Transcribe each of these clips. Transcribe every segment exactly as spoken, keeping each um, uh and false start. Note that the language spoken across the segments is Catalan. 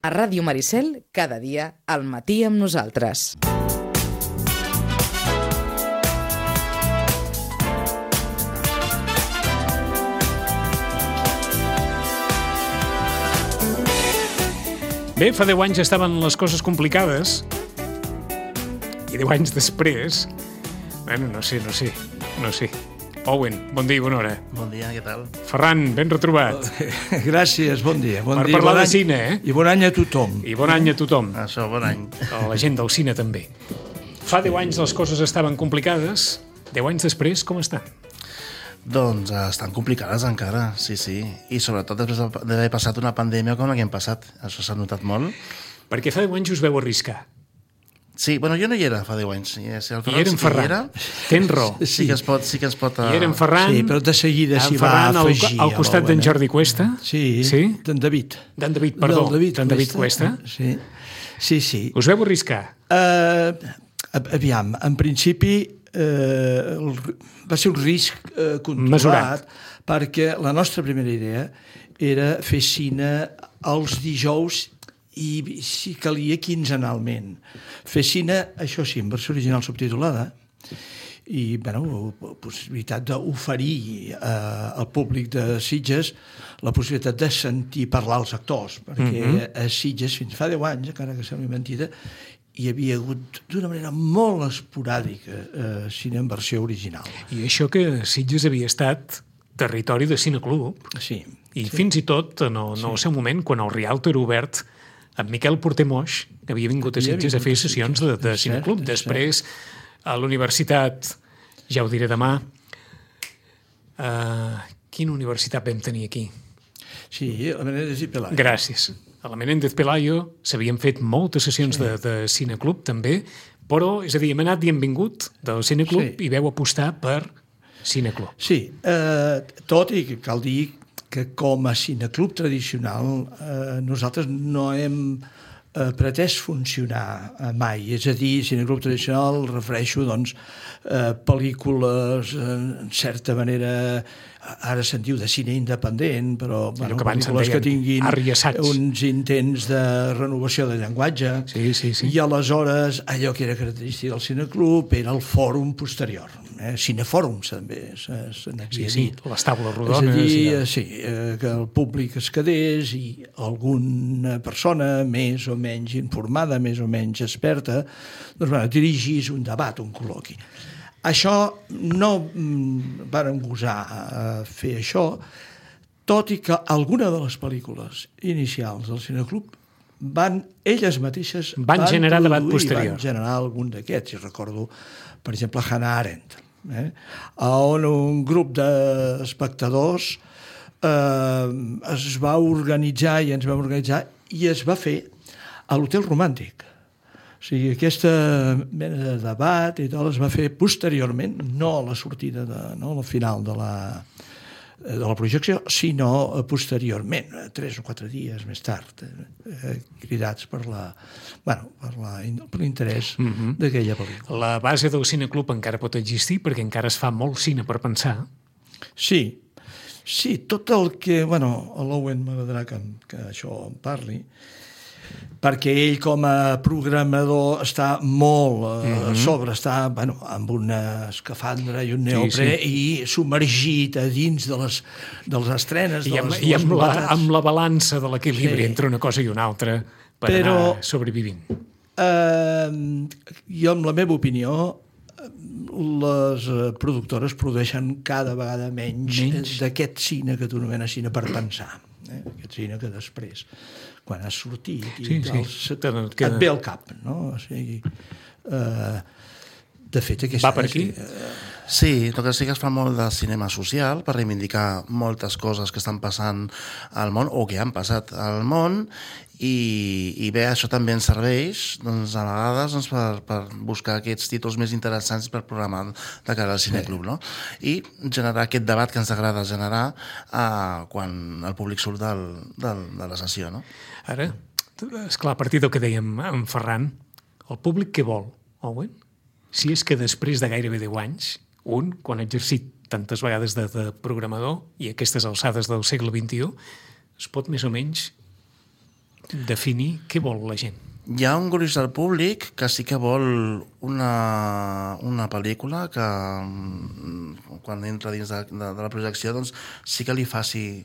A Ràdio Maricel, cada dia, al matí amb nosaltres. Bé, fa deu anys estaven les coses complicades i deu anys després... Bueno, no sé, no sé, no sé. Owen, bon dia i bona hora. Bon dia, què tal? Ferran, ben retrobat. Gràcies, bon dia. Bon per dia, parlar bon de any, cine, eh? I bon any a tothom. I bon any a tothom. Això, bon any. A la gent del cine també. Fa deu anys les coses estaven complicades. Deu anys després, com estan? Doncs eh, estan complicades encara, sí, sí. I sobretot després d'haver passat una pandèmia com la que hem passat. Això s'ha notat molt. Perquè fa deu anys us veu arriscar. Sí, bueno, jo no hi era fa deu anys. Si el I era en sí Ferran. Era, Tens raó. sí que es pot... Sí que es pot uh... I era en Ferran. Sí, però de seguida s'hi va Ferran al, afegir. al costat d'en Jordi Cuesta. Sí, sí? d'en David. D'en David, perdó. Del David d'en David Cuesta. Sí, sí. sí. Us veu arriscar? Uh, aviam, en principi uh, el, va ser un risc uh, controlat. Mesurat. Perquè la nostra primera idea era fer cine els dijous i, si calia, quinzenalment. Fer cine, això sí, en versió original subtitulada, i, bueno, la possibilitat d'oferir eh, al públic de Sitges la possibilitat de sentir parlar els actors, perquè mm-hmm. a Sitges, fins fa deu anys, encara que sembli mentida, hi havia hagut, d'una manera molt esporàdica, eh, cine en versió original. I això que Sitges havia estat territori de cineclub. Sí. I sí. fins i tot, en el, en el seu moment, quan el Rialto era obert, en Miquel Porter-Moix, que havia vingut a Sitges a fer sessions de, de cineclub. Després, a la universitat, ja ho diré demà, uh, quina universitat vam tenir aquí? Sí, la Menéndez i Pelayo. Gràcies. A la Menéndez Pelayo s'havien fet moltes sessions sí. de, de cineclub, també, però, és a dir, hem anat i hem vingut del cineclub sí. i veu apostar per cineclub. Sí, eh, tot i que cal dir que com a cineclub tradicional eh, nosaltres no hem eh, pretès funcionar eh, mai. És a dir, cineclub tradicional, refereixo, doncs, eh, pel·lícules, eh, en certa manera, ara se'n diu de cine independent, però bueno, que pel·lícules que tinguin arriassats. uns intents de renovació de llenguatge, sí, sí, sí. i aleshores allò que era característic del cineclub era el fòrum posterior. Eh? Cinefòrums també se, se n'havia sí, sí. dit. Les taules rodones. És a dir, ja. sí, eh, que el públic es quedés i alguna persona més o menys informada, més o menys experta, doncs, bueno, dirigís un debat, un col·loqui. Això no mm, vàrem gosar a fer això, tot i que alguna de les pel·lícules inicials del cineclub van, elles mateixes van, van generar debat posterior. Van generar algun d'aquests. I recordo, per exemple, Hannah Arendt, eh? on un grup d'espectadors eh, es va organitzar i ens vam organitzar i es va fer a l'Hotel Romàntic. O sigui, aquesta mena de debat i tot es va fer posteriorment, no a la sortida, de, no al final de la, de la projecció, sinó posteriorment, tres o quatre dies més tard, eh, cridats per la, bueno, per la, per l'interès mm-hmm. d'aquella pel·lícula. La base del cineclub encara pot existir perquè encara es fa molt cine per pensar. Sí, sí, tot el que... Bueno, a l'Owen m'agradarà que, que això en parli, perquè ell com a programador està molt eh, mm-hmm. sobre, està bueno, amb una escafandra i un neoprè sí, sí. i submergit a dins de les, de les estrenes. I, de amb, les, i amb, la, amb la balança de l'equilibri sí. entre una cosa i una altra per Però, anar sobrevivint. Eh, jo, amb la meva opinió, les productores produeixen cada vegada menys, menys. d'aquest cine que tu anomenes cine per pensar. Eh? Aquest cine que després, quan has sortit i sí, tal, sí. et, et ve al cap, no? O sigui, eh, de fet, aquesta... Va per aquí? Eh, sí, el que sí que es fa molt de cinema social per reivindicar moltes coses que estan passant al món o que han passat al món i, i bé, això també ens serveix doncs, a vegades doncs, per, per buscar aquests títols més interessants per programar de cara al cineclub, no? I generar aquest debat que ens agrada generar eh, quan el públic surt del, del, de la sessió, no? Ara, esclar, a partir del que dèiem en Ferran, el públic què vol, Owen? Si és que després de gairebé deu anys, un, quan ha exercit tantes vegades de, de programador i aquestes alçades del segle vint-i-u, es pot més o menys definir què vol la gent. Hi ha un gruix del públic que sí que vol una, una pel·lícula que quan entra dins de, de, de la projecció doncs sí que li faci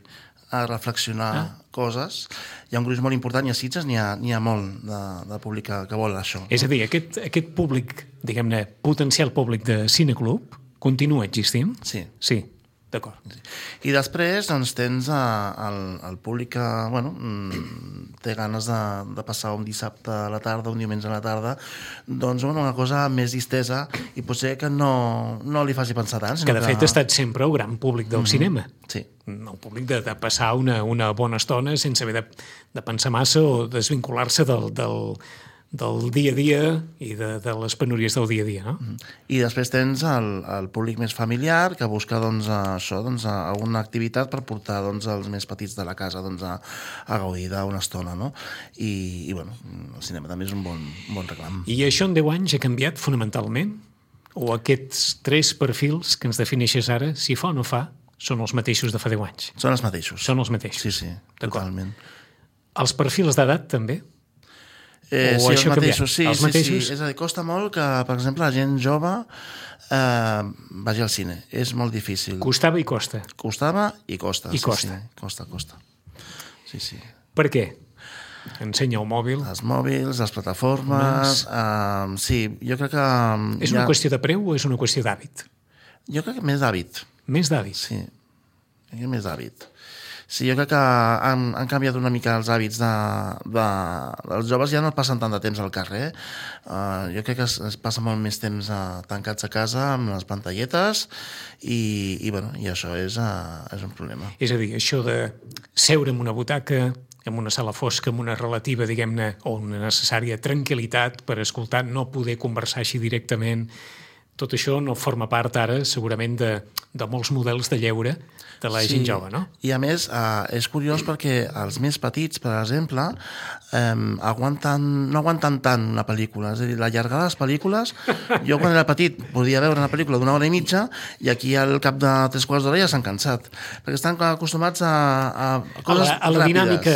a reflexionar ah. coses. Hi ha un gruix molt important i a Sitges n'hi ha, n'hi ha molt de, de públic que, que vol això. És a dir, aquest, aquest públic, diguem-ne, potencial públic de cineclub continua existint? Sí. Sí. D'acord. I després doncs, tens a, el, el públic que bueno, té ganes de, de passar un dissabte a la tarda, un diumenge a la tarda, doncs bueno, una cosa més distesa i potser que no, no li faci pensar tant. Que de fet que... ha estat sempre el gran públic del mm-hmm. cinema. Sí. El públic de, de passar una, una bona estona sense haver de, de pensar massa o desvincular-se del, del, del dia a dia i de, de les penúries del dia a dia, no? I després tens el, el públic més familiar que busca doncs, això, doncs, alguna activitat per portar doncs, els més petits de la casa doncs, a, a gaudir d'una estona, no? I, i bueno, el cinema també és un bon, un bon reclam. I això en deu anys ha canviat fonamentalment? O aquests tres perfils que ens defineixes ara, si fa o no fa, són els mateixos de fa deu anys? Són els mateixos. Són els mateixos. Sí, sí, totalment. Els perfils d'edat també? Eh, sí, els mateixos, sí, els sí, mateixos? sí. És a dir, costa molt que, per exemple, la gent jove eh, vagi al cine. És molt difícil. Costava i costa. Costava i costa. I sí, costa. Sí, costa, costa. Sí, sí. Per què? Ensenya el mòbil. Els mòbils, les plataformes... Eh, sí, jo crec que... És una ha... qüestió de preu o és una qüestió d'hàbit? Jo crec que més d'hàbit. Més d'hàbit? Sí, més d'hàbit. Sí, jo crec que han, han canviat una mica els hàbits de, de... Els joves ja no passen tant de temps al carrer. Uh, jo crec que es, es passa molt més temps uh, tancats a casa amb les pantalletes i, i, bueno, i això és, uh, és un problema. És a dir, això de seure en una butaca, en una sala fosca, amb una relativa, diguem-ne, o una necessària tranquil·litat per escoltar, no poder conversar així directament, tot això no forma part ara, segurament, de, de molts models de lleure de la sí. gent jove, no? I a més, eh, és curiós perquè els més petits, per exemple, eh, aguanten, no aguanten tant una pel·lícula. És a dir, l'allargar les pel·lícules... Jo, quan era petit, podia veure una pel·lícula d'una hora i mitja i aquí al cap de tres quarts d'hora ja s'han cansat. Perquè estan acostumats a, a coses a la, a la ràpides. dinàmica...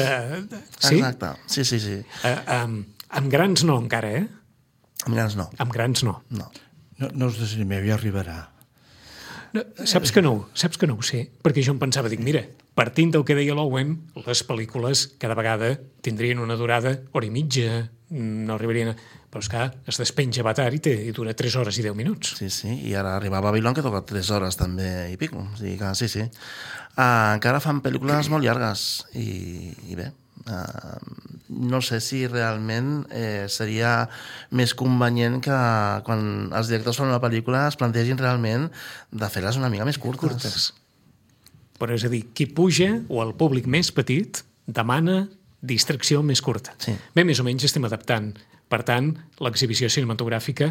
Sí? Exacte, sí, sí, sí. Uh, um, amb grans no, encara, eh? Amb grans no. Amb grans no. No. No, no us desanimeu, ja arribarà. No, saps que no, saps que no ho sé, perquè jo em pensava, dic, mira, partint del que deia l'Owen, les pel·lícules cada vegada tindrien una durada hora i mitja, no arribarien a... Però és que es despenja Avatar i, té, i dura tres hores i deu minuts. Sí, sí, i ara arriba a Babilón que toca tres hores també i pico. O sigui que sí, sí. Uh, encara fan pel·lícules molt llargues i, i bé, uh, no sé si realment eh, seria més convenient que quan els directors fan una pel·lícula es plantegin realment de fer-les una mica més curtes. curtes. Però és a dir, qui puja, o el públic més petit, demana distracció més curta. Sí. Bé, més o menys estem adaptant, per tant, l'exhibició cinematogràfica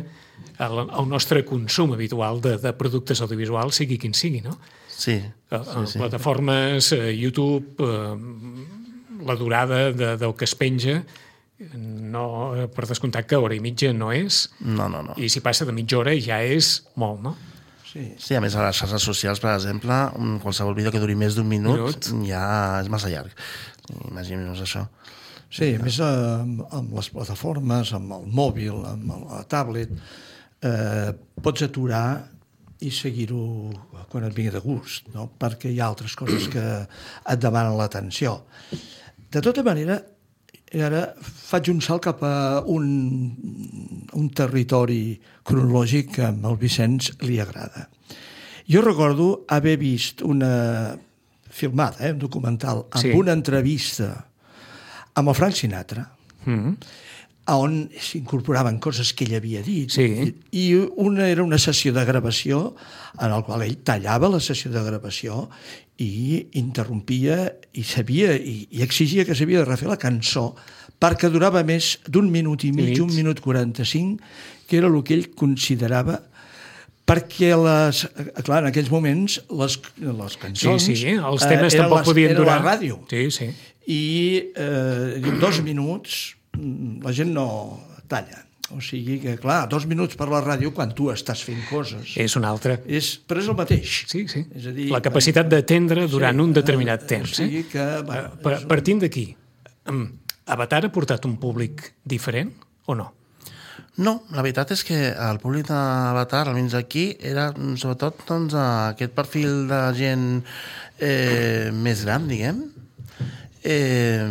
al, al nostre consum habitual de, de productes audiovisuals, sigui quin sigui, no? Sí. sí, sí. Plataformes, eh, YouTube... Eh, la durada de, del que es penja, no, per descomptat que hora i mitja no és, no, no, no. I si passa de mitja hora ja és molt, no? Sí, sí, a més a les xarxes socials, per exemple, qualsevol vídeo que duri més d'un minut, minut ja és massa llarg. Imaginem-nos això. Sí, a més amb, amb les plataformes, amb el mòbil, amb la tablet, eh, pots aturar i seguir-ho quan et vingui de gust, no? Perquè hi ha altres coses que et demanen l'atenció. De tota manera, ara faig un salt cap a un, un territori cronològic que al Vicenç li agrada. Jo recordo haver vist una filmada, eh, un documental, amb sí. una entrevista amb el Frank Sinatra, mm-hmm. on s'incorporaven coses que ell havia dit. Sí. I una era una sessió de gravació en la qual ell tallava la sessió de gravació i interrompia i sabia i, i exigia que s'havia de refer la cançó perquè durava més d'un minut i mig, un minut quaranta-cinc, que era el que ell considerava, perquè les, clar, en aquells moments les, les cançons... Sí, sí, els temes eh, tampoc les, podien durar. Era la ràdio. Sí, sí. I eh, dos minuts la gent no talla. O sigui que, clar, dos minuts per la ràdio quan tu estàs fent coses. És un altre. És, però és el mateix. Sí, sí. És a dir, la capacitat d'atendre durant sí, un determinat eh, temps. O sigui que... Bueno, partint d'aquí, Avatar ha portat un públic diferent o no? No, la veritat és que el públic d'Avatar, almenys aquí, era sobretot doncs, aquest perfil de gent eh, més gran, diguem. Eh,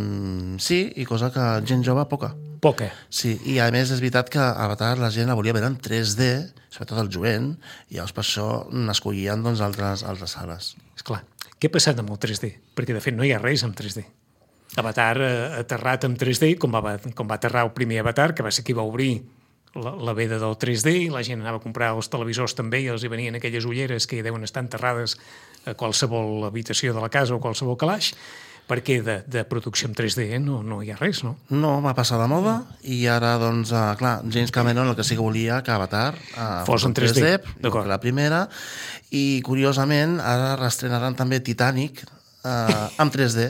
sí, i cosa que gent jove poca. Poca. Sí, i a més és veritat que Avatar la gent la volia veure en tres D, sobretot el jovent, i llavors per això n'escollien doncs, altres, altres sales. Esclar, què ha passat amb el tres D? Perquè de fet no hi ha res amb tres D. Avatar ha aterrat amb tres D, com va, com va aterrar el primer Avatar, que va ser qui va obrir la, la veda del tres D, i la gent anava a comprar els televisors també i els hi venien aquelles ulleres que hi deuen estar enterrades a qualsevol habitació de la casa o qualsevol calaix, perquè de, de producció en tres D eh? no, no hi ha res, no? No, va passar de moda i ara, doncs, uh, clar, James Cameron el que sí que volia que Avatar uh, fos en tres D, tres D la primera, i curiosament ara reestrenaran també Titanic uh, en tres D.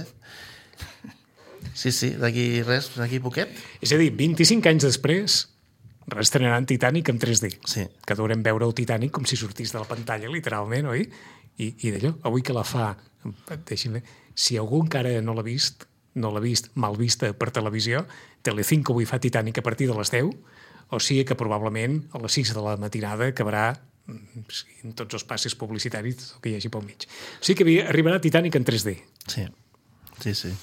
Sí, sí, d'aquí res, d'aquí poquet. És a dir, vint-i-cinc anys després reestrenaran Titanic en tres D. Sí. Que deurem veure el Titanic com si sortís de la pantalla, literalment, oi? I, i d'allò, avui que la fa, deixi'm, si algú encara no l'ha vist, no l'ha vist mal vista per televisió, Telecinco avui fa Titanic a partir de les deu, o sigui que probablement a les sis de la matinada acabarà en tots els passes publicitaris que hi hagi pel mig. O sigui que arribarà Titanic en tres D. Sí, sí, sí.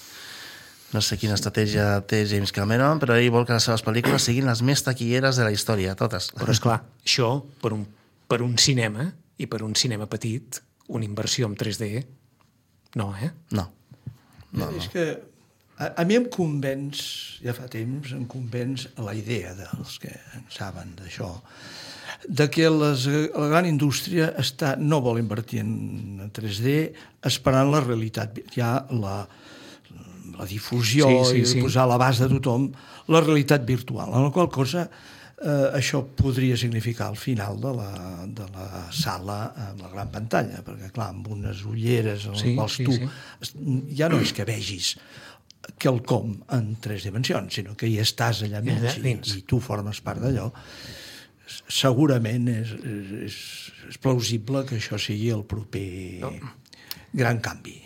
No sé quina estratègia té James Cameron, però ell vol que les seves pel·lícules siguin les més taquilleres de la història, totes. Però, esclar, això, per un, per un cinema, i per un cinema petit, una inversió en tres D, no, eh? No. no, no. És que a, a mi em convenç, ja fa temps, em convenç la idea dels que en saben d'això, de que les, la gran indústria està, no vol invertir en tres D esperant la realitat, ja la, la difusió sí, sí, i sí. posar a l'abast de tothom la realitat virtual, en la qual cosa eh, això podria significar el final de la, de la sala en la gran pantalla, perquè clar, amb unes ulleres en les sí, quals sí, tu sí. ja no és que vegis quelcom en tres dimensions, sinó que hi estàs allà mig i, i tu formes part d'allò, segurament és, és, és plausible que això sigui el proper no. gran canvi.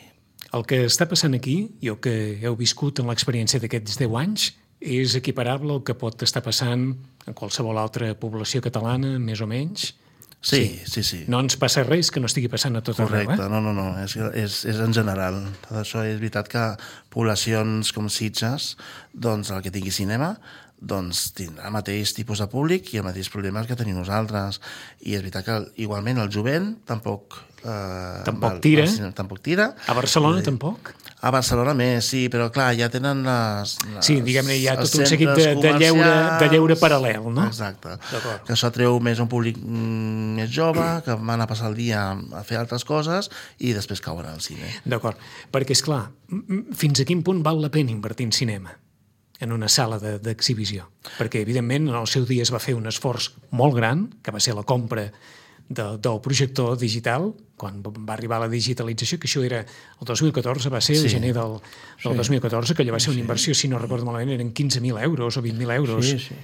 El que està passant aquí, i el que heu viscut en l'experiència d'aquests deu anys, és equiparable al que pot estar passant en qualsevol altra població catalana, més o menys? Sí, sí, sí. No ens passa res que no estigui passant a tot arreu, eh? Correcte, no, no, no, és, és, és en general. Tot això és veritat que poblacions com Sitges, doncs el que tingui cinema, doncs tindrà el mateix tipus de públic i els mateixos problemes que tenim nosaltres. I és veritat que igualment el jovent tampoc... Eh, tampoc val, tira. Val, tampoc tira. A Barcelona tampoc? A Barcelona més, sí, però clar, ja tenen les... les sí, diguem-ne, hi ha tot un seguit de, de, lleure, de lleure paral·lel, no? Exacte. Que això atreu més un públic mm, més jove, que van a passar el dia a fer altres coses i després cauen al cine. D'acord, perquè, és clar, fins a quin punt val la pena invertir en cinema? En una sala d'exhibició? Perquè, evidentment, en el seu dia es va fer un esforç molt gran, que va ser la compra de, del projector digital, quan va arribar la digitalització, que això era el dos mil catorze, va ser el sí. gener del, del sí. dos mil catorze, que allò va ser una inversió, si no recordo malament, eren quinze mil euros o vint mil euros, sí, sí.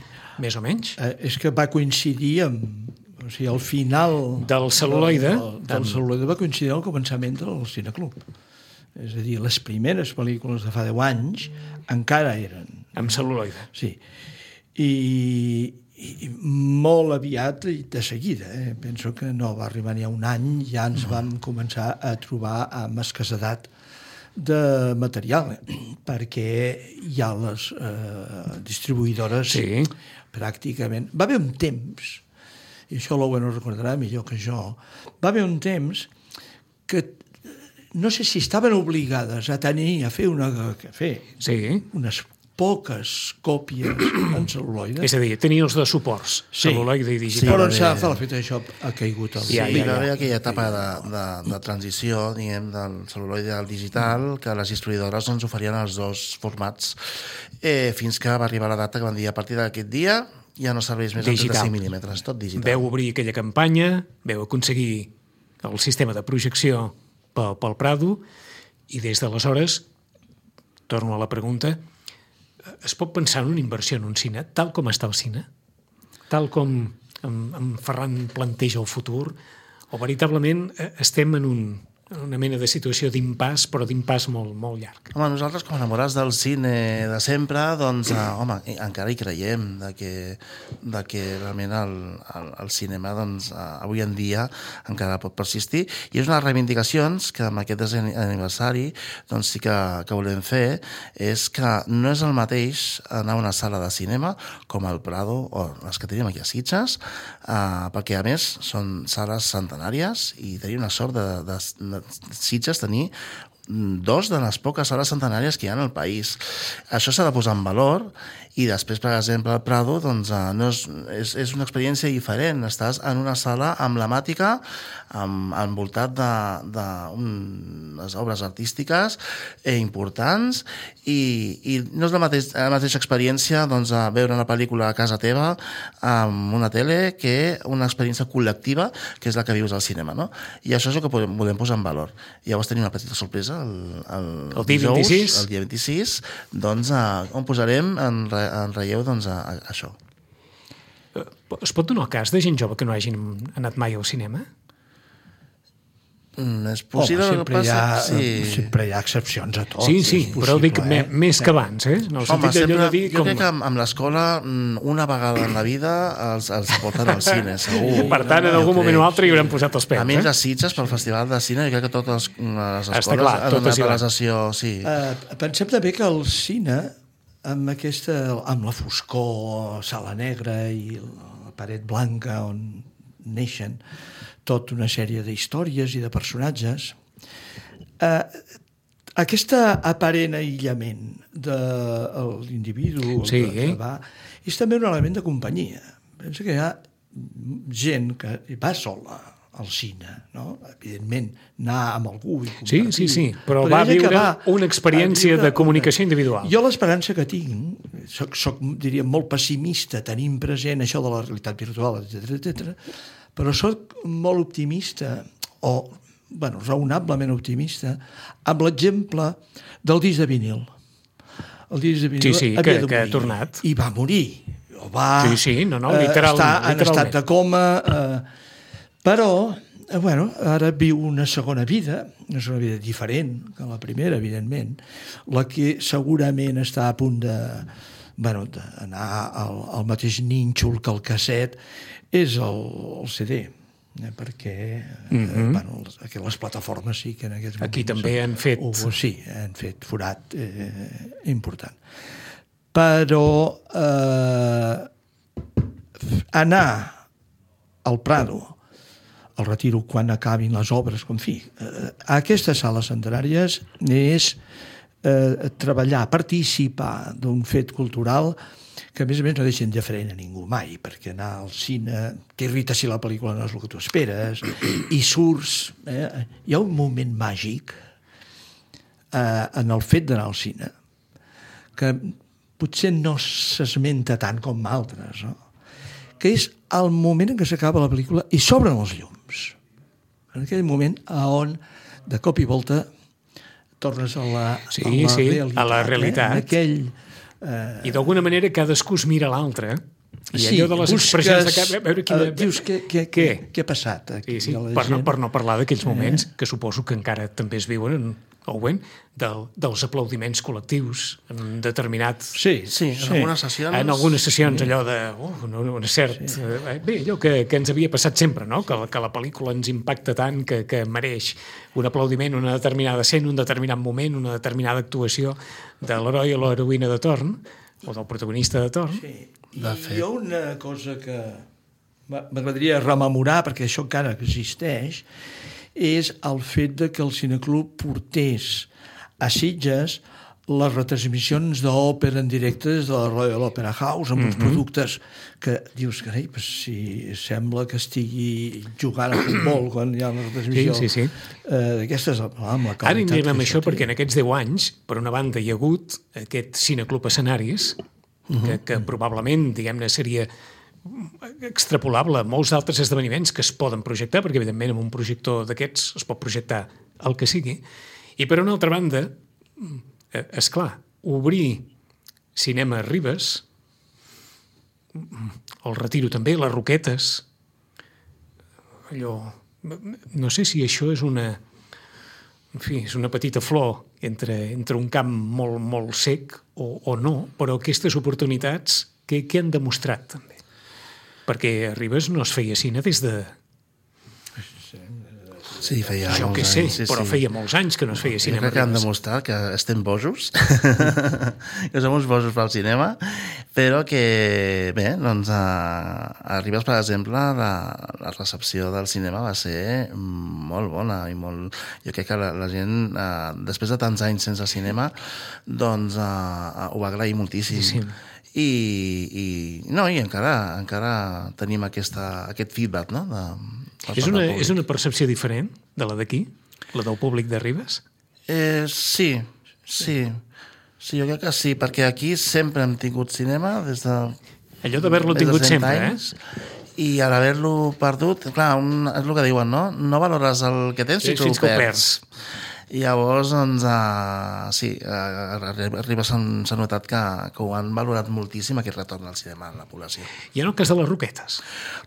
més o menys. Eh, és que va coincidir amb... O sigui, al final... Del cel·luloide. Del, del amb... cel·luloide va coincidir al començament del Cineclub. És a dir, les primeres pel·lícules de fa deu anys encara eren... Amb cel·luloide. Sí. I, i molt aviat, de seguida, eh? penso que no va arribar ni a un any, ja ens vam començar a trobar amb escassedat de material, eh? perquè hi ha les eh, distribuïdores sí. pràcticament... Va haver un temps, i això l'Owen ho recordarà millor que jo, va haver un temps que no sé si estaven obligades a tenir, a fer una... A fer sí. unes poques còpies en cel·luloide. És a dir, tenir els de suports, sí. cel·luloide i digital. Sí, però s'ha de fer el fet això ha caigut. Sí, ja, ja, ja. Hi va haver aquella etapa de, de, de transició, diguem, del cel·luloide al digital, que les distribuïdores ens oferien els dos formats, eh, fins que va arribar la data que van dir a partir d'aquest dia ja no serveix més el trenta-cinc mil·límetres, tot digital. Veu obrir aquella campanya, veu aconseguir el sistema de projecció pel, pel Prado, i des d'aleshores, torno a la pregunta, es pot pensar en una inversió en un cine tal com està el cine? Tal com en, en Ferran planteja el futur? O veritablement estem en un, una mena de situació d'impàs, però d'impàs molt, molt llarg. Home, nosaltres, com enamorats del cine de sempre, doncs, eh, home, encara hi creiem de que, de que realment el, el, el cinema, doncs, eh, avui en dia encara pot persistir. I és una de les reivindicacions que amb aquest desè aniversari doncs, sí que, que volem fer, és que no és el mateix anar a una sala de cinema com el Prado o les que tenim aquí a Sitges, eh, perquè, a més, són sales centenàries i tenim una sort de, de, de Sitges tenir dos de les poques sales centenàries que hi ha al país. Això s'ha de posar en valor i després, per exemple, el Prado doncs, no és, és, és una experiència diferent. Estàs en una sala emblemàtica amb, envoltat d'unes obres artístiques eh, importants i, i no és la, mateix, la mateixa experiència doncs, a veure una pel·lícula a casa teva amb una tele que una experiència col·lectiva que és la que vius al cinema, no? I això és el que podem, volem posar en valor. I llavors tenim una petita sorpresa el, el, el dia dijous, vint-i-sis, el dia vint-i-sis doncs, a, on posarem en, en relleu doncs, a, a això. Es pot donar el cas de gent jove que no hagin anat mai al cinema? Mm, és possible. Home, sempre, hi ha, sí. sempre hi ha excepcions a tot. Sí, sí, però dic eh? més que abans, eh? No, Home, sempre, de dir jo com... crec que amb, amb l'escola una vegada en la vida els, els porten al cine, segur. Per tant, en algun moment o altre hi haurem posat els peus. A menys eh? a Sitges, pel Festival de Cine, jo crec que totes les escoles Està clar, han anat a la va. sessió. Sí. Uh, pensem també que el cine, amb, aquesta, amb la foscor, sala negra i la paret blanca on neixen tota una sèrie d'històries i de personatges, eh, aquesta aparent aïllament de l'individu sí, que, que va, és també un element de companyia. Pensa que hi ha gent que va sola al cine, no? Evidentment, anar amb algú i compartir. Sí, sí, sí, però, però va viure va una experiència de comunicació individual. Jo l'esperança que tinc, soc, soc, diria, molt pessimista, tenint present això de la realitat virtual, etcètera, etcètera, però soc molt optimista, o, bueno, raonablement optimista, amb l'exemple del disc de vinil. El disc de vinil sí, sí, havia que, de que morir. ha tornat. I va morir. O va sí, sí, no, no, literal, eh, estar en literalment. estat de coma... Eh, però, eh, bueno, ara viu una segona vida, una segona vida diferent que la primera, evidentment, la que segurament està a punt de, bueno, d'anar al, al mateix nínxol que el casset, és el, el C D, eh, perquè mm-hmm. eh, bueno, les, les plataformes sí que en aquests moments... Aquí també han fet... Uh, sí, han fet forat eh, important. Però eh, anar al Prado, al Retiro, quan acabin les obres, en fi, eh, a aquestes sales centenàries és eh, treballar, participar d'un fet cultural que a més a més no deixen de frenar a ningú mai, perquè anar al cine t'irrita si la pel·lícula no és el que tu esperes, i surts... Eh? Hi ha un moment màgic eh, en el fet d'anar al cine que potser no s'esmenta tant com altres, no? Que és el moment en què s'acaba la pel·lícula i s'obren els llums. En aquell moment on, de cop i volta, tornes a la, sí, a la sí, realitat. A la realitat. Eh? Aquell... Uh, I d'alguna manera cadascú es mira l'altre i sí, allò de les busques, expressions de cap, a veure quina... Uh, dius, què, què, què? què ha passat aquí? Sí, sí, per, no, per no parlar d'aquells moments eh? que suposo que encara també es viuen en, Owen, del, dels aplaudiments col·lectius en determinat... Sí, sí, en sí. algunes sessions... En algunes sessions sí. allò de... Uh, una, una cert... Sí. Eh, bé, allò que, que ens havia passat sempre, no? Que, que la pel·lícula ens impacta tant que, que mereix un aplaudiment, una determinada escena, un determinat moment, una determinada actuació de l'heroi o l'heroïna de torn, o del protagonista de torn. Sí. I hi ha una cosa que m'agradaria rememorar, perquè això encara existeix, és el fet de que el Cineclub portés a Sitges les retransmissions d'òpera en directe des de la Royal Opera House, amb mm-hmm. uns productes que dius, carai, pues, si sembla que estigui jugant a futbol quan hi ha una retransmissió sí, sí, sí. Eh, d'aquestes, amb la qualitat. Ara anirem amb això perquè en aquests deu anys, per una banda, hi ha hagut aquest Cineclub Escenaris, mm-hmm. que, que probablement, diguem-ne, seria extrapolable a molts altres esdeveniments que es poden projectar, perquè evidentment amb un projector d'aquests es pot projectar el que sigui, i per una altra banda, és clar, obrir cinema a Ribes, el Retiro també, les Roquetes, allò, no sé si això és una en fi, és una petita flor entre, entre un camp molt, molt sec o, o no, però aquestes oportunitats què, què han demostrat també? Perquè a Ribes no es feia cine des de... Sí, feia Jo molts què sé, anys, sí, però sí. feia molts anys que no es feia Jo cinema crec que a han Ribes. demostrat que estem bojos, que som uns bojos pel cinema, però que, bé, doncs, a, a Ribes, per exemple, la, la recepció del cinema va ser molt bona i molt... Jo crec que la, la gent, eh, després de tants anys sense cinema, doncs eh, ho va agrair moltíssim. Sí. I, i, no, i encara, encara tenim aquesta, aquest feedback, no?, de, És una, és una percepció diferent de la d'aquí, la del públic de Ribes? Eh, sí, sí. Sí, jo crec que sí, perquè aquí sempre hem tingut cinema des de... Allò d'haver-lo tingut sempre, anys, eh? I a l'haver-lo perdut, clar, un, és el que diuen, no? No valores el que tens fins, Fins que que ho ho perds. I llavors, doncs, uh, sí, a Ribes s'ha notat que, que ho han valorat moltíssim, aquest retorn al cinema en la població. I en el cas de les Roquetes?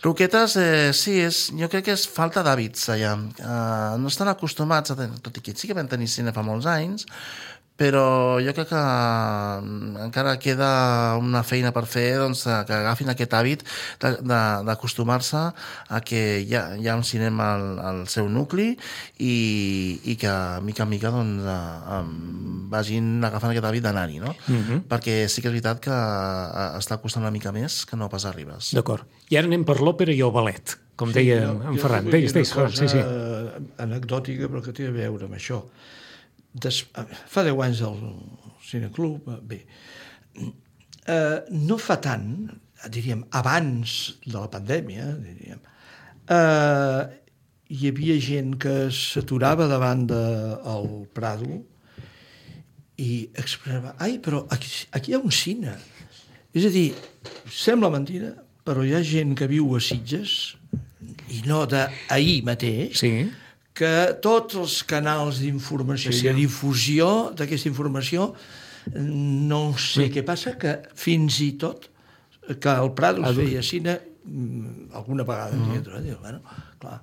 Roquetes, eh, sí, és, jo crec que és falta d'hàbits allà. Uh, no estan acostumats, a tenir, tot i que sí que vam tenir cine fa molts anys, però jo crec que encara queda una feina per fer, doncs, que agafin aquest hàbit d'acostumar-se a que hi ha, hi ha un cinema al, al seu nucli i, i que, mica en mica, doncs, eh, vagin agafant aquest hàbit d'anar-hi, no? Uh-huh. Perquè sí que és veritat que està costant una mica més que no pas a Ribes. D'acord. I ara anem per l'òpera i el ballet, com sí, deia jo, en Ferran. Deies, deies, Ferran, sí, sí. Anecdòtica, però que té a veure amb això. Des, fa deu anys al Cineclub, bé, eh, no fa tant, diríem, abans de la pandèmia, diríem, eh, hi havia gent que s'aturava davant del Prado i expressava, ai, però aquí, aquí hi ha un cine. És a dir, sembla mentida, però hi ha gent que viu a Sitges, i no d'ahir mateix, sí, que tots els canals d'informació sí, sí. i de difusió d'aquesta informació, no sé sí. què passa, que fins i tot que el Prado es feia cine alguna vegada, uh-huh. diu, bueno, clar,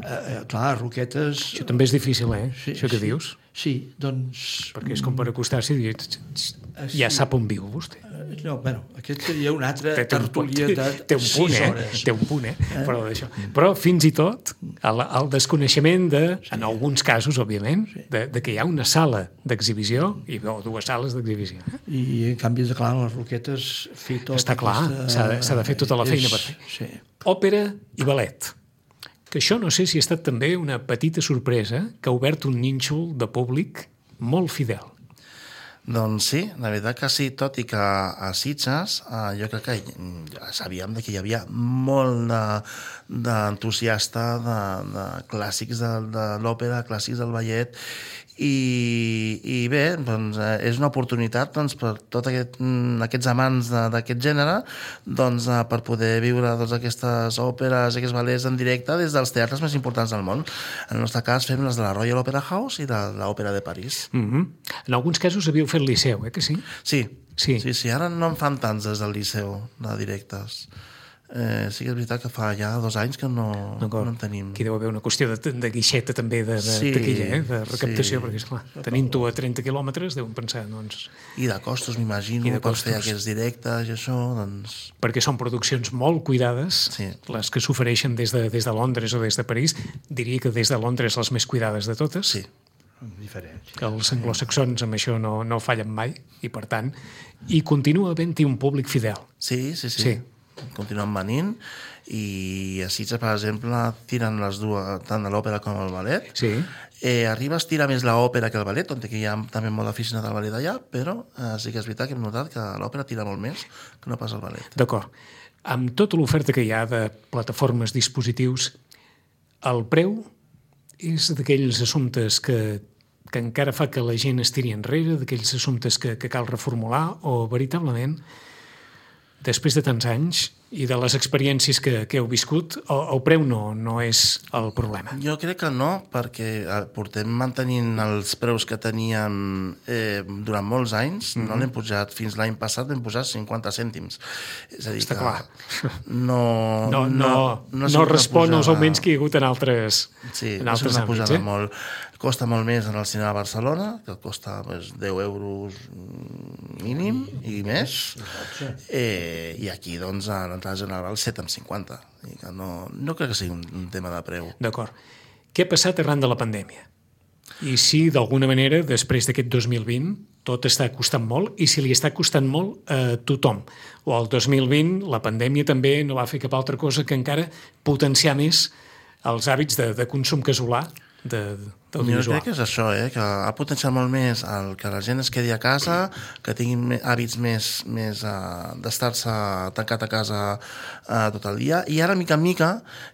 eh, clar, Roquetes... Això també és difícil, eh? Sí, això que sí, dius. Sí, doncs... Perquè és com per acostar-s'hi i dir, ja sí. sap on viu vostè. No, bueno, aquest seria una altra té, tertúlia de té un punt, sis eh? hores. Té un punt, eh? eh? Però, d'això. Però fins i tot el, el desconeixement de, sí. en alguns casos, òbviament, sí. de, de que hi ha una sala d'exhibició i o dues sales d'exhibició. I en canvi, de clar, les Roquetes fer tot està clar, aquesta... s'ha de, s'ha de fer tota la feina és... per fer. Sí. Òpera i ballet. Que això no sé si ha estat també una petita sorpresa que ha obert un nínxol de públic molt fidel. Doncs sí, la veritat que sí, tot i que a Sitges eh, jo crec que ja sabíem que hi havia molt d'entusiasta de, de, de clàssics de, de l'òpera, clàssics del ballet, i, i bé, doncs, eh, és una oportunitat doncs, per tots aquest, aquests amants d'aquest gènere doncs, eh, per poder viure doncs, aquestes òperes, aquests ballets en directe des dels teatres més importants del món. En el nostre cas fem les de la Royal Opera House i de l'Òpera de París. Mm-hmm. En alguns casos havíeu fet Liceu, eh, que sí? Sí, sí, sí, sí. Ara no en fan tants des del Liceu, de directes. Eh, sí que és veritat que fa ja dos anys que no, no en tenim. Aquí deu haver una qüestió de, de guixeta també de, de sí, taquilla, eh? De recaptació, sí. perquè esclar, tenint-ho a trenta quilòmetres deuen pensar, doncs... I de costos, m'imagino, per fer aquests directes i això, doncs... Perquè són produccions molt cuidades, sí. les que s'ofereixen des, de, des de Londres o des de París, diria que des de Londres les més cuidades de totes. Sí. Diferent. Que els anglosaxons amb això no, no fallen mai, i per tant, i continua havent-hi un públic fidel. Sí, sí, sí. sí. Continuen venint i a Sitges, per exemple, tiren les dues, tant de l'òpera com el ballet. Sí. Eh, a Ribes tira més l'òpera que el ballet, on hi ha també molt d'aficionat al ballet allà, però eh, sí que és veritat que hem notat que l'òpera tira molt més que no pas el ballet. D'acord. Amb tota l'oferta que hi ha de plataformes, dispositius, el preu és d'aquells assumptes que, que encara fa que la gent es tiri enrere, d'aquells assumptes que, que cal reformular, o veritablement després de tants anys i de les experiències que, que heu viscut, el, el preu no, no és el problema? Jo crec que no, perquè portem mantenint els preus que teníem eh, durant molts anys, mm-hmm. no l'hem pujat. Fins l'any passat vam pujar cinquanta cèntims. És a dir, està que clar. No, no, no, no, no respon als augments que hi ha hagut en altres, sí, en altres no àmbits. Sí, no molt. costa molt més en el cinema de Barcelona, que costa pues, deu euros mínim i més, eh, i aquí doncs a l'entrada general set coma cinquanta. I que no, no crec que sigui un, un tema de preu. D'acord. Què ha passat arran de la pandèmia? I si, d'alguna manera, després d'aquest dos mil vint, tot està costant molt, i si li està costant molt a tothom. O el dos mil vint, la pandèmia també no va fer cap altra cosa que encara potenciar més els hàbits de, de consum casolà d'audiovisual. Jo crec que és això, eh? Que ha potenciat molt més el que la gent es quedi a casa, que tinguin hàbits més, més uh, d'estar-se tancat a casa uh, tot el dia, i ara, mica en mica,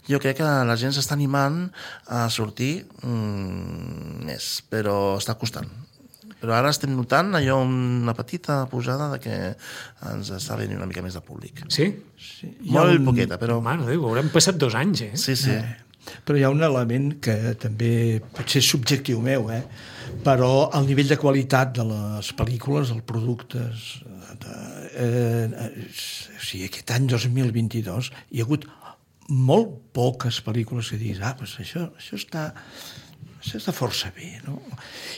jo crec que la gent s'està animant a sortir mm, més, però està costant. Però ara estem notant allò una petita pujada de que ens està venint una mica més de públic. Sí? Sí. Molt un... poqueta, però... Mare de Déu, haurem passat dos anys, eh? Sí, sí. Eh. Però hi ha un element que també pot ser subjectiu meu, eh? Però el nivell de qualitat de les pel·lícules, els productes... De, eh, o sigui, aquest any dos mil vint-i-dos hi ha hagut molt poques pel·lícules que diguis, ah, doncs això, això està... això està força bé, no?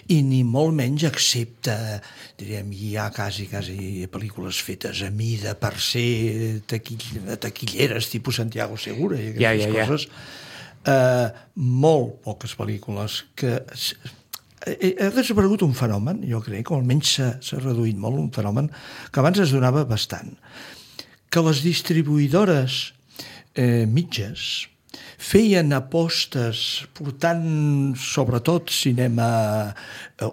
I ni molt menys excepte, diríem, hi ha quasi, quasi pel·lícules fetes a mida per ser taquill, taquilleres, tipus Santiago Segura i aquestes ja, ja, ja. coses. Uh, molt poques pel·lícules que... Ha desaparegut un fenomen, jo crec, o almenys s'ha reduït molt, un fenomen que abans es donava bastant. Que les distribuïdores eh, mitges feien apostes portant sobretot cinema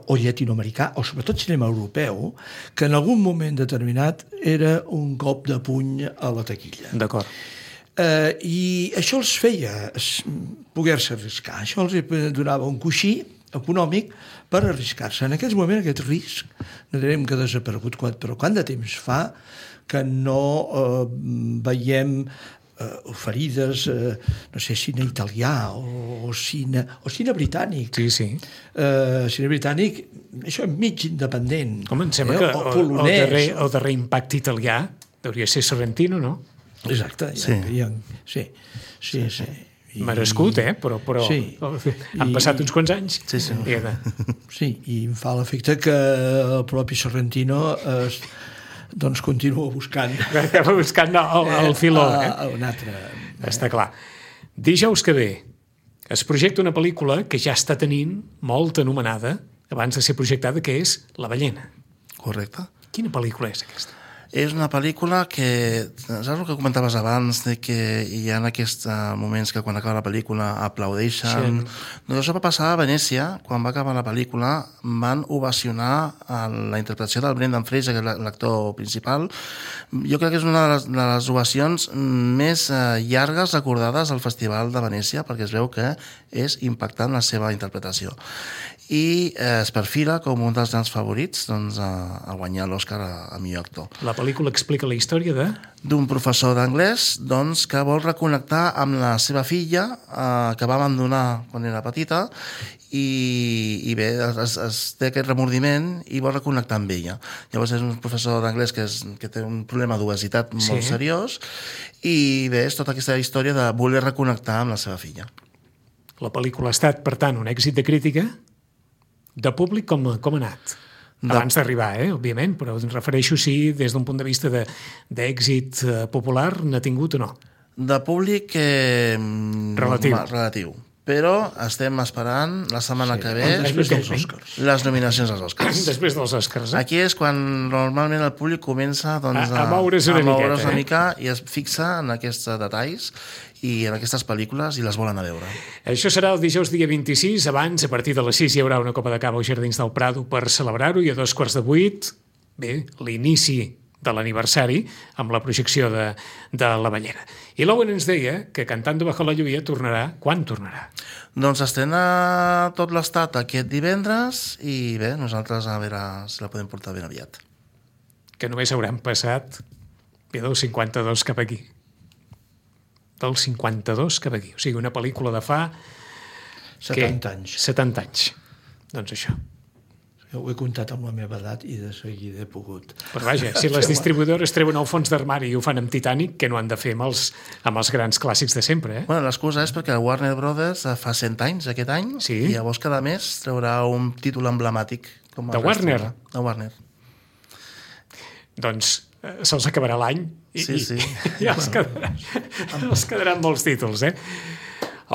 o llatinoamericà o sobretot cinema europeu que en algun moment determinat era un cop de puny a la taquilla. D'acord. Uh, I això els feia poder-se arriscar. Això els donava un coixí econòmic per arriscar-se. En aquest moment aquest risc no direm que ha desaparegut, però quant de temps fa que no uh, veiem Uh, oferides, uh, no sé, cine italià o, o, cine, o cine britànic. Sí, sí. Uh, cine britànic, això mig independent. Home, em sembla eh? que o, el, polonès, el, darrer, el darrer impacte italià hauria de ser Sorrentino, no? Exacte. Sí. Ja, ja, sí, sí, sí. I, merescut, eh? Però, però sí. han passat uns quants anys. Sí, sí. I, sí, i em fa l'efecte que el propi Sorrentino es, doncs continua buscant. Acaba buscant el, el filó, eh? Un altre. Està clar. Dijous que ve es projecta una pel·lícula que ja està tenint molt anomenada abans de ser projectada, que és La ballena. Correcte. Quina pel·lícula és aquesta? És una pel·lícula que, saps el que comentaves abans, de que hi ha aquests moments que quan acaba la pel·lícula aplaudeixen? Sí. Doncs això va passar a Venècia, quan va acabar la pel·lícula, van ovacionar la interpretació del Brendan Fraser, que és l'actor principal. Jo crec que és una de les, de les ovacions més llargues recordades al Festival de Venècia, perquè es veu que és impactant la seva interpretació. I eh, es perfila com un dels grans favorits doncs, a, a guanyar l'Oscar a, a millor actor. La pel·lícula explica la història de... D'un professor d'anglès doncs, que vol reconnectar amb la seva filla eh, que va abandonar quan era petita i, i bé, es, es té aquest remordiment i vol reconnectar amb ella. Llavors és un professor d'anglès que, és, que té un problema d'obesitat molt sí. seriós i bé, és tota aquesta història de voler reconnectar amb la seva filla. La pel·lícula ha estat, per tant, un èxit de crítica. De públic, com, com ha anat? De... Abans d'arribar, eh, òbviament, però em refereixo si des d'un punt de vista d'èxit de, popular n'ha tingut o no. De públic... Eh, relatiu. Relatiu. Però estem esperant la setmana sí, que ve després dels Oscars. Les nominacions als Oscars. Després dels Oscars, eh? Aquí és quan normalment el públic comença doncs, a, a moure's una, a moure's miqueta, una eh? mica i es fixa en aquests detalls i en aquestes pel·lícules i les volen a veure. Això serà el dijous dia vint-i-sis. Abans, a partir de les sis, hi haurà una copa de cava als Jardins del Prado per celebrar-ho i a dos quarts de vuit, bé, l'inici de l'aniversari amb la projecció de, de La ballena. I l'Owen ens deia que Cantando bajo la lluvia tornarà... Quan tornarà? Doncs estrena tot l'estat aquest divendres i bé, nosaltres a veure si la podem portar ben aviat. Que només haurem passat bé, del cinquanta-dos cap aquí. Del cinquanta-dos cap aquí. O sigui, una pel·lícula de fa... setanta anys. setanta anys. Doncs això. ho he comptat amb la meva edat i de seguida he pogut. Però vaja, si les distribuïdores treuen el fons d'armari i ho fan amb Titanic, què no han de fer amb els, amb els grans clàssics de sempre, eh? Bueno, l'excusa és perquè el Warner Brothers fa cent anys aquest any Sí. i llavors cada mes traurà un títol emblemàtic. Com De Warner? De Warner. Doncs eh, se'ls acabarà l'any i, Sí, sí. i ja els, quedarà, els quedaran molts títols, eh?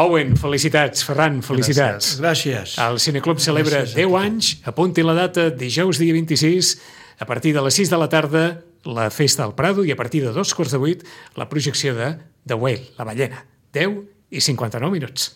Owen, felicitats. Ferran, felicitats. Gràcies. El Cineclub celebra Gràcies a deu tothom. anys, apunti la data, dijous dia vint-i-sis, a partir de les sis de la tarda, la festa al Prado, i a partir de dos quarts de vuit, la projecció de The Whale, la ballena. deu i cinquanta-nou minuts.